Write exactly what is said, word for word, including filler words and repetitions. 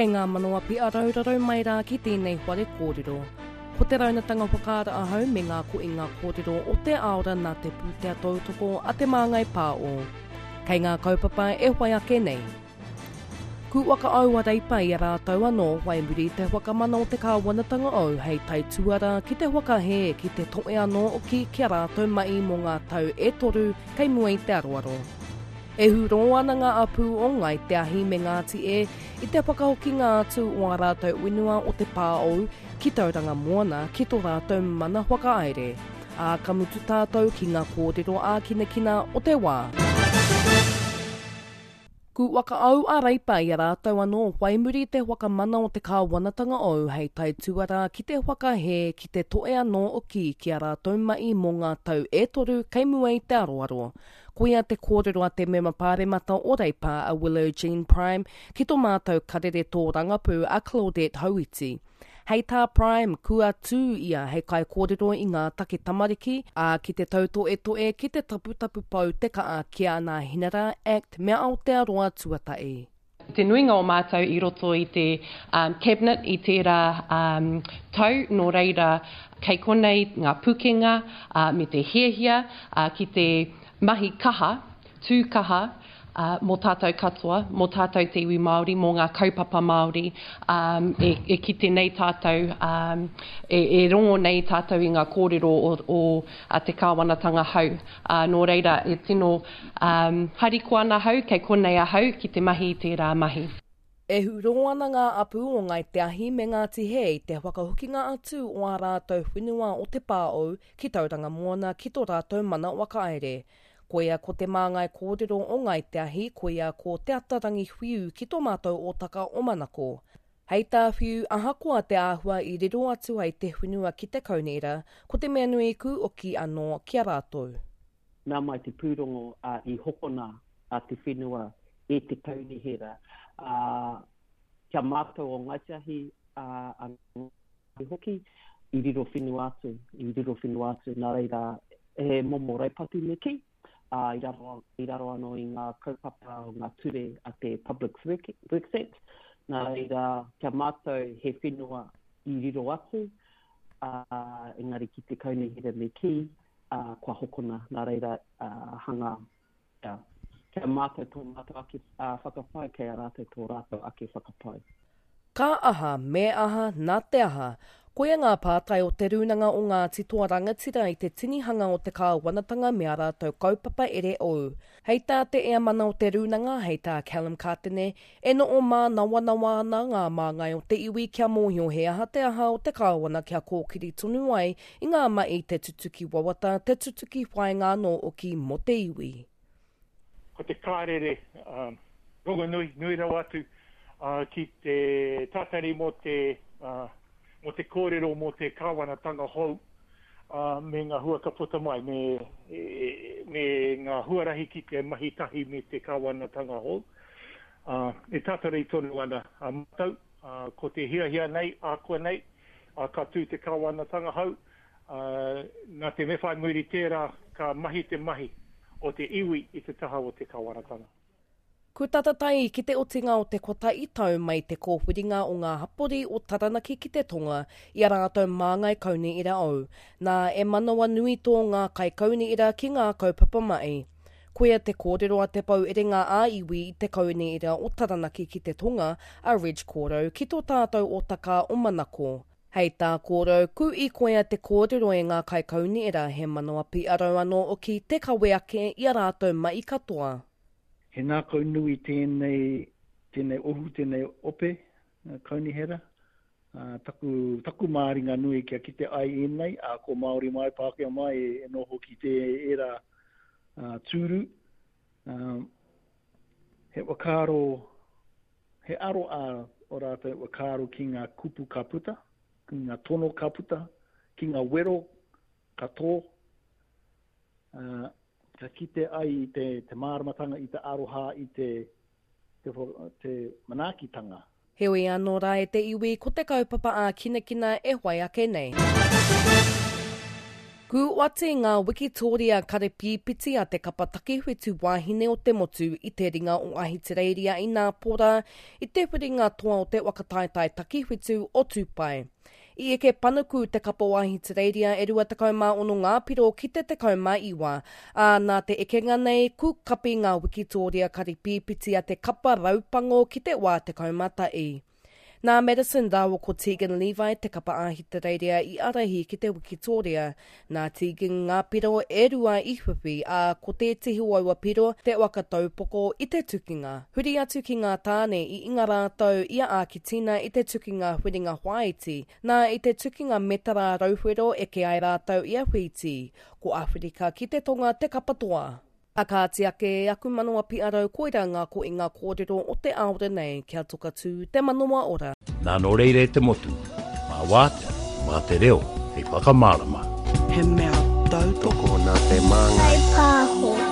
Kei ngā manawa piaraurarau mai rā ki tēnei whare kōrero. Ko te raunatanga whakaara ahau me ngā koinga kōrero o te aora nā te pūtea tautoko a Te Māngai Pāo. Kei ngā kaupapa e whai ake nei. Ku whakaau a Reipa i a rātou anō whai muri te whakamana o te kāwanatanga ou hei taituara ki te whakahē ki te toe anō oki ki a rātou mai mō ngā tau e toru kei mua i te aroaro. E hurō ana ngā apu o Ngai Te Ahi me Ngāti E i te whakahokinga atu o a rātou whenua o te Pāou ki Tauranga Moana ki tō rātou mana whakahaere. Ā, ka mutu tātou ki ngā kōrero ākinakina o te wā. Ku whakaau a Reipa i a rātou anō whai muri te whakamana o te kāwanatanga ou hei taituara ki te whakahē ki te toe anō oki ki a rātou mai mō ngā tau e toru kei mua i te aroaro. Koia te kōrero a te mema pāremata o Reipa a Willow Jean Prime ki tō mātou karere tōrangapū a Claudette Hauiti. Hei tā Prime, kua tū ia hei kaikōrero i ngā take tamariki, ā, ki te tautoetoe ki te taputapu pau te kaa ki a Nā Hinara Act me Aotearoa Tuatahi. Te nuinga o mātou i roto i te um, cabinet i tērā um, tau, nō reira kei konei ngā pukenga uh, me te hiahia uh, ki te mahi kaha, tū kaha, uh, mō tātou katoa, mō tātou te iwi Māori, mō ngā kaupapa Māori, um, e, e kite nei tātou, um, e, e rongo nei tātou i ngā kōrero o, o a te kāwanatanga hau. Uh, nō reira, e tino um, harikoa ana hau, kei konei ahau ki te mahi i tērā mahi. E hurō ana ngā apu o Ngai Te Ahi me Ngāti Hē i te whakahokinga atu o a rātou whenua o te Pāou ki Tauranga Moana ki tō rātou mana whakahaere. Koia ko te māngai kōrero o Ngai Te Ahi, koia ko Te Atarangi Whiu ki tō mātou ōtaka o Manako. Hei tā Whiu, ahakoa te āhua i riro atu ai te whenua ki te kaunihera, ko te mea nui ku oki anō ki a rātou. Nā mai te pūrongo uh, i hokona a te whenua e te kaunihera. Uh, kia mātou o Ngai Te Ahi uh, a Ngai hoki, i riro whenua atu, i riro whenua atu, nā reira he momo raupatu me kī, uh, i, raro, i raro anō i ngā kaupapa o ngā ture a te Public Works Act. Nā reira, kia mātou he whenua i riro atu, uh, engari ki te kaunihera me kī, uh, kua hokona, nā reira uh, hanga, yeah. Kia mātou tō mātou ake uh, whakapae, kei a rātou tō rātou ake whakapae. Ka aha, me aha, nā te aha. Koia ngā pātai o te rūnanga o Ngāti Toa Rangatira i te tinihanga o te kāwanatanga me a rātou kaupapa ere ou. Hei tā te eamana o te rūnanga, hei tā Callum Kātene, e noho mānawanawa ana ngā māngai o te iwi kia mōhio he aha te aha o te kāwana kia kōkiri tonu ai i ngā mai te tutuki wawata, te tutuki whainga anō oki mō te iwi. Ko te kārere um, rongonui, nui rawa atu uh, ki te tātari mō te, uh, mō te kōrero mō te kāwanatanga hou uh, me ngā hua ka puta mai, me, e, me ngā huarahi ki te mahi tahi me te kāwanatanga hou. Uh, e tātari tonu ana a mātou, uh, ko te hiahia nei, ākua nei, uh, ka tū te kāwanatanga hou, uh, nā te me whai muri tērā ka mahi te mahi o te iwi i te taha o te kāwanatanga. Ku tatatai ki te otinga o te kotahi tau mai te kōwhiringa o ngā hapori o Taranaki ki te tonga i a rātou māngai kaunihera ou. Nā e manawa nui tō ngā kaikaunihera ki ngā kaupapa mai. Koia te kōrero a te pou erenga a iwi i te kaunihera o Taranaki ki te tonga a Reg Kōrau ki tō tātou ōtaka o Manako. Hei tā kōrau, ku i koia te kōrero e ngā kaikaunihera he manawa piarau anō oki te kawe ake i a rātou mai katoa. He ngākau nui tēnei, tēnei ohu, tēnei ope, kaunihera. Uh, taku, taku māringa nui kia kite ai ēnei, a ko Māori mai, Pākehā mai e, e noho ki te era uh, tūru. Um, he whakaaro, he aro a o rātou whakaaro ki ngā kupu ka puta, ki ngā tono ka puta, ki ngā wero ka tō. Uh, ka kite ai i te, te māramatanga, i te aroha, i te, te, te manaakitanga. Heoi anō rā e te iwi ko te kaupapa ā kinakina e whai ake nei. Ku oati ngā wikitōria karepīpiti a te kapa takiwhitu wāhine o te motu i te ringa o Ahitereiria i Nāpora i te whiringa toa o te waka taetae takiwhitu o Tūpai. I eke panuku te kapa o Ahitereiria e rua tekau mā ono ngā piro ki te tekau mā iwa, ā, nā te ekenga nei ku kapi ngā wikitōria karepīpiti a te kapa raupango ki te wā tekau mā tahi. Nā Madison rāua ko Tegan Levi te kapa Ahitereiria i ārahi ki te wikitōria. Nā Tegan ngā piro e rua i whiwhi, ā, ko tētehi o aua piro te waka taupoko i te tukinga. Huri atu ki ngā tāne i inga rātou i a Āketina i te tukinga huringa whāiti. Nā, i te tukinga metara rauwhero eke ai rātou i a Whītī. Ko Āwherika ki te Tonga te kapa toa. A kāti ake aku manawa piarau koira ngā koinga kōrero o te aore nei kia toka tū te manawa ora. Nā nō reira e te motu, mā wātea, mā te reo, hei whakamārama. He mea tautoko nā te Māngai. Pāho.